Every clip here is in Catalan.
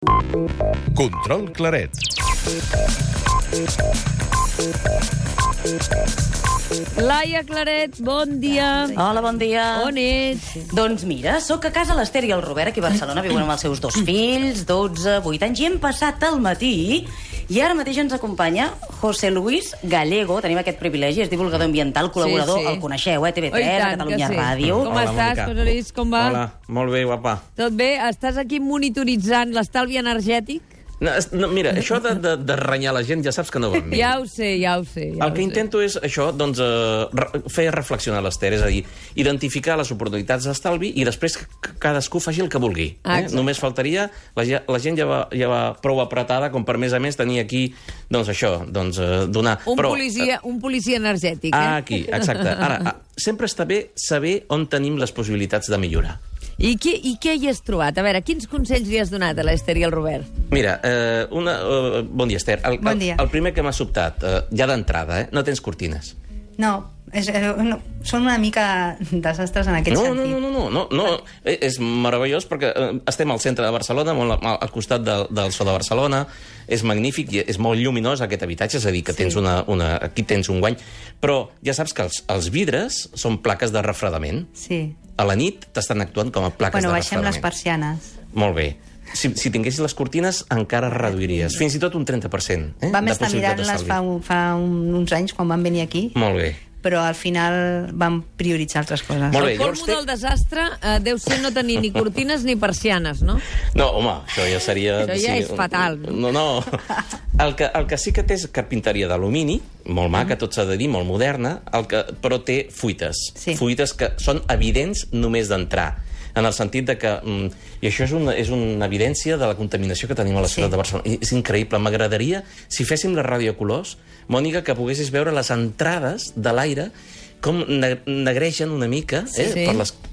Control Claret. Laia Claret, bon dia. Hola, bon dia. On ets? Doncs mira, sóc a casa l'Ester i el Robert, aquí a Barcelona, viuen amb els seus 2 fills, 12, 8 anys, i hem passat el matí, i ara mateix ens acompanya José Luis Gallego, tenim aquest privilegi, és divulgador ambiental, col·laborador, el coneixeu, TV3, a Catalunya Ràdio. Com estàs, José Luis, com va? Hola, molt bé, guapa. Tot bé? Estàs aquí monitoritzant l'estalvi energètic? No, mira, això de renyar la gent ja saps que no va amb mi. Ja ho sé. El que intento és això, doncs, fer reflexionar l'Ester, és a dir, identificar les oportunitats d'estalvi i després que cadascú faci el que vulgui. Només faltaria, la gent ja va prou apretada com per més a més tenir aquí, doncs això, doncs donar... Un policia energètic, Aquí, exacte. Ara, sempre està bé saber on tenim les possibilitats de millorar. I què hi has trobat? A veure, quins consells li has donat a l'Ester i al Robert? Mira, bon dia, Ester. Bon dia. El primer que m'ha sobtat, ja d'entrada, no tens cortines. No, són una mica desastres en aquest sentit. No, és meravellós perquè estem al centre de Barcelona, molt al costat del Sol de Barcelona, és magnífic, és molt lluminós aquest habitatge, és a dir, que tens aquí tens un guany, però ja saps que els vidres són plaques de refredament. Sí. A la nit t'estan actuant com a plaques de refredament. Baixem les persianes. Molt bé. Si tinguessis les cortines, encara reduiries. Fins i tot un 30%. Vam estar mirant-les fa uns anys, quan vam venir aquí. Molt bé. Però al final vam prioritzar altres coses. El colmo del desastre deu ser no tenir ni cortines ni persianes, no? No, home, això ja seria... Això ja és fatal. No. El que sí que té és carpinteria d'alumini, molt maca, tot s'ha de dir, molt moderna, però té fuites. Fuites que són evidents només d'entrar. En el sentit de que... I això és una evidència de la contaminació que tenim a la ciutat de Barcelona. És increïble. M'agradaria, si féssim la ràdio a colors, Mònica, que poguessis veure les entrades de l'aire com negreixen una mica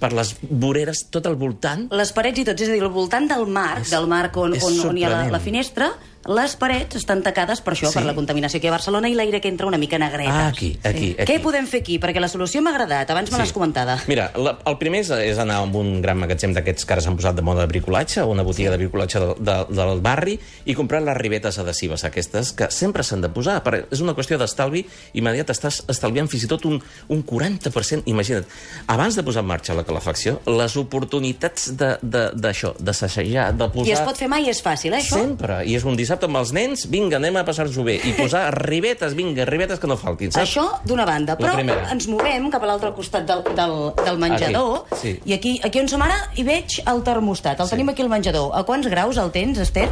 per les voreres tot al voltant. Les parets i tot, és a dir, al voltant del marc on hi ha la finestra, les parets estan tacades per això, per la contaminació aquí a Barcelona i l'aire que entra una mica negretes. Aquí. Què podem fer aquí? Perquè la solució m'ha agradat, abans me l'has comentada. Mira, el primer és anar a un gran magatzem d'aquests que ara s'han posat de moda de bricolatge, o una botiga de bricolatge del barri, i comprar les ribetes adhesives aquestes, que sempre s'han de posar, perquè és una qüestió d'estalvi immediat, estàs estalviant fins i tot un 40%. Imagina't, abans de posar en marxa la calefacció, les oportunitats d'això, de sassejar, de posar... I es pot fer mai, és fàcil, això? Sempre, i és un dissabte amb els nens, vinga, anem a passar-nos-ho bé, i posar ribetes, vinga, ribetes que no faltin, saps? Això d'una banda, però ens movem cap a l'altre costat del menjador, i aquí on som ara hi veig el termostat, el tenim aquí al menjador. A quants graus el tens, Ester?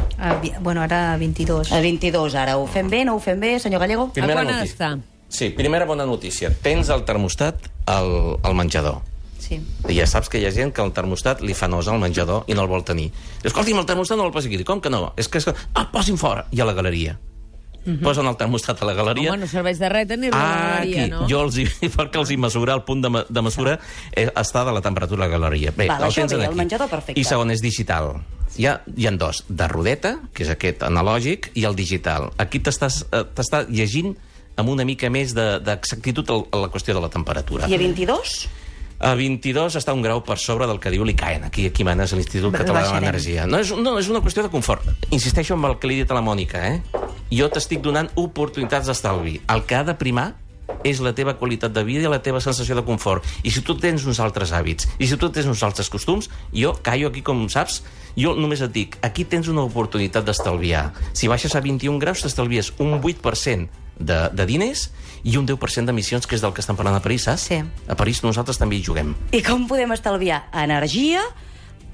Bueno, ara 22. A 22, ara. Ho fem bé, no ho fem bé, senyor Gallego? A quan ha d'estar? Sí, primera bona notícia. Tens el termostat al menjador. Sí. I ja saps que hi ha gent que el termostat li fa nosa al menjador i no el vol tenir. Escolti'm, el termostat no el posi aquí. Com que no? És que posin fora. I a la galeria. Posen el termostat a la galeria. Home, no serveix de res tenir-lo a la galeria, no? Jo perquè els hi mesurar, el punt de mesura està de la temperatura a la galeria. Bé, el tens aquí. El menjador perfecte. I segon, és digital. Hi ha 2, de rodeta, que és aquest analògic, i el digital. Aquí t'està llegint amb una mica més d'exactitud a la qüestió de la temperatura. I a 22? A 22 està un grau per sobre del que diu l'ICAEN, aquí manes a l'Institut Català de l'Energia. No, és una qüestió de confort. Insisteixo amb el que li he dit a la Mònica, Jo t'estic donant oportunitats d'estalvi. El que ha de primar és la teva qualitat de vida i la teva sensació de confort. I si tu tens uns altres hàbits, i si tu tens uns altres costums, jo callo aquí, com saps, jo només et dic, aquí tens una oportunitat d'estalviar. Si baixes a 21 graus, t'estalvies un 8% de diners i un 10% d'emissions, que és del que estan parlant a París, saps? Sí. A París nosaltres també hi juguem. I com podem estalviar energia,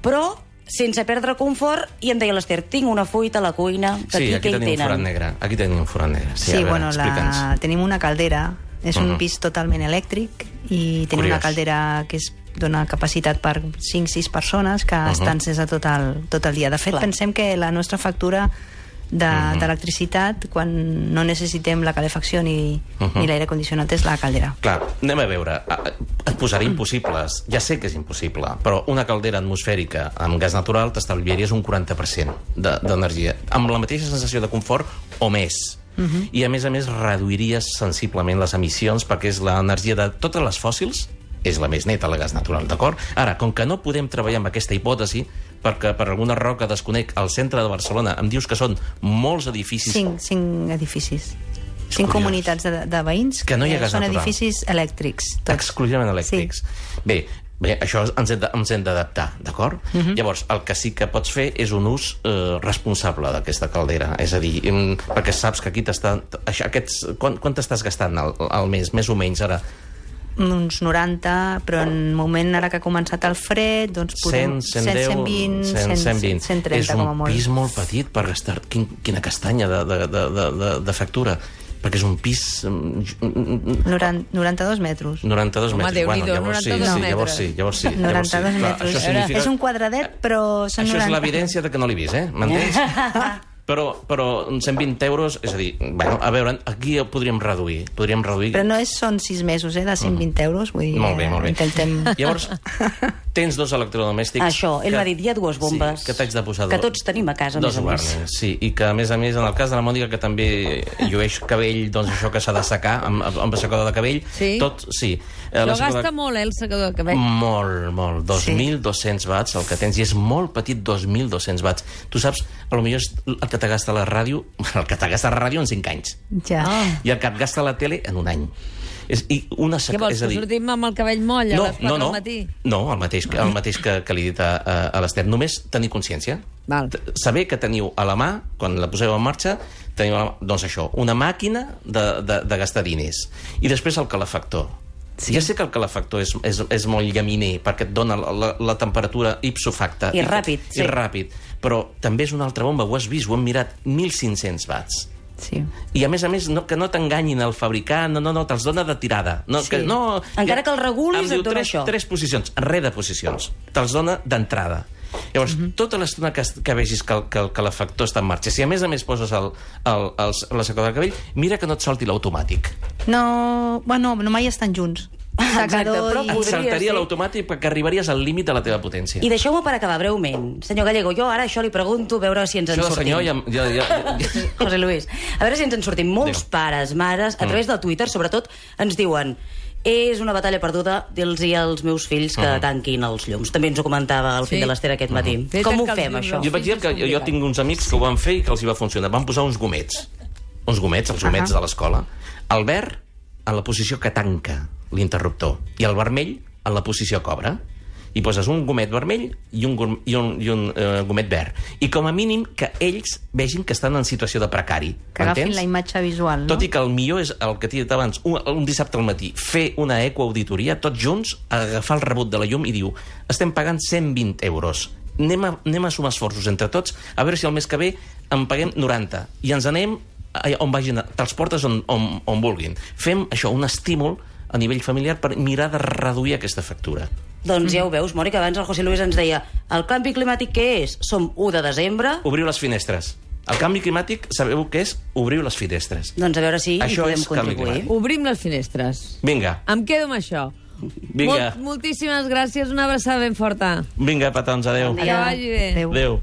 però sense perdre confort? I em deia l'Ester, tinc una fuita a la cuina, que aquí tenim un forat negre. Aquí tenim un forat negre. Sí, bueno, tenim una caldera, és un pis totalment elèctric, i tenim una caldera que dona capacitat per 5-6 persones que estan sense tot el dia. De fet, pensem que la nostra factura d'electricitat, quan no necessitem la calefacció ni l'aire condicionat, és la caldera. Clar, anem a veure, et posaré impossibles, ja sé que és impossible, però una caldera atmosfèrica amb gas natural t'estalviaries un 40% d'energia, amb la mateixa sensació de confort o més. I a més reduiries sensiblement les emissions, perquè és l'energia de totes les fòssils és la més neta, la gas natural, d'acord? Ara, com que no podem treballar amb aquesta hipòtesi, perquè per alguna raó que desconec al centre de Barcelona em dius que són molts edificis... 5 edificis. 5 curiós. comunitats de veïns que no hi ha gas són natural. edificis elèctrics. Tots. Exclusivament elèctrics. Sí. Bé, això ens hem d'adaptar, d'acord? Llavors, el que sí que pots fer és un ús responsable d'aquesta caldera. És a dir, perquè saps que aquí quant t'estàs gastant al mes, més o menys, ara? Uns 90, però en moment ara que ha començat el fred, doncs podem 120, 130 com a molt. És un pis molt petit per gastar... Quina castanya de factura. Perquè és un pis... 92 metres. 92 metres. Déu-n'hi-do, Llavors sí. 92 metres. És un quadradet, però són 90. Això és l'evidència de que no l'he vist, m'entens? Però 120 euros, és a dir, bueno, a veure, aquí podríem reduir. Però no són 6 mesos, de 120 euros, vull dir... Molt bé. Intentem... Llavors, tens 2 electrodomèstics... Això, ell m'ha dit, hi ha 2 bombes... Sí, que t'haig de posar... Que tots tenim a casa, a més a més. Sí, i que, a més, en el cas de la Mònica, que també llueix cabell, doncs això que s'ha de secar, amb secador de cabell... Sí? Tot, sí. Però gasta molt, el secador de cabell. Molt. 2.200 watts, el que tens, i és molt petit, 2.200 watts. Tu saps, potser és el que t'agasta la ràdio, el que t'agasta la ràdio en 5 anys. Ja. I el que et gasta la tele en un any. Què vols, que sortim amb el cabell moll a les 4 del matí? No, el mateix que li he dit a l'Ester. Només tenir consciència. Val. Saber que teniu a la mà, quan la poseu en marxa, teniu a la mà, doncs això, una màquina de gastar diners. I després el calefactor. Sí. Ja sé que el calefactor és molt llaminer perquè et dona la temperatura ipso facto. I ràpid. I ràpid. Però també és una altra bomba, ho has vist, ho hem mirat, 1.500 watts. Sí. I a més, que no t'enganyin el fabricant, no, te'ls dona de tirada. No, sí. Encara que el regulis et dona això. 3 posicions, res de posicions. Te'ls dona d'entrada. Llavors, tota l'estona que vegis que el calefactor està en marxa, si a més poses la secadora de cabell, mira que no et salti l'automàtic. No mai estan junts. Secador i... Saltaria l'automàtic perquè arribaries al límit de la teva potència. I deixeu-me per acabar breument. Senyor Gallego, jo ara això li pregunto, a veure si ens en sortim. José Luis, a veure si ens en sortim. Molts pares, mares, a través del Twitter, sobretot, ens diuen: és una batalla perduda, dir-los als meus fills que tanquin els llums. També ens ho comentava el fill de l'Ester aquest matí. Com ho fem, això? Jo vaig dir que jo tinc uns amics que ho van fer i que els hi va funcionar. Van posar uns gomets. Els gomets de l'escola. El verd en la posició que tanca l'interruptor i el vermell en la posició que obre. I poses un gomet vermell i un gomet verd. I com a mínim que ells vegin que estan en situació de precari. Que agafin la imatge visual, no? Tot i que el millor és el que t'he dit abans, un dissabte al matí, fer una ecoauditoria, tots junts, agafar el rebut de la llum i diu: estem pagant 120 euros. Anem a sumar esforços entre tots, a veure si el mes que ve en paguem 90. I ens anem on vagin, te'ls portes on vulguin. Fem això, un estímul a nivell familiar per mirar de reduir aquesta factura. Doncs ja ho veus, Mònica, abans el José Luis ens deia: el canvi climàtic què és? Som 1 de desembre... Obriu les finestres. El canvi climàtic, sabeu què és? Obriu les finestres. Doncs a veure si hi podem contribuir. Obrim les finestres. Vinga. Em quedo amb això. Vinga. Moltíssimes gràcies, una abraçada ben forta. Vinga, petons, adeu. Que vagi bé. Adeu.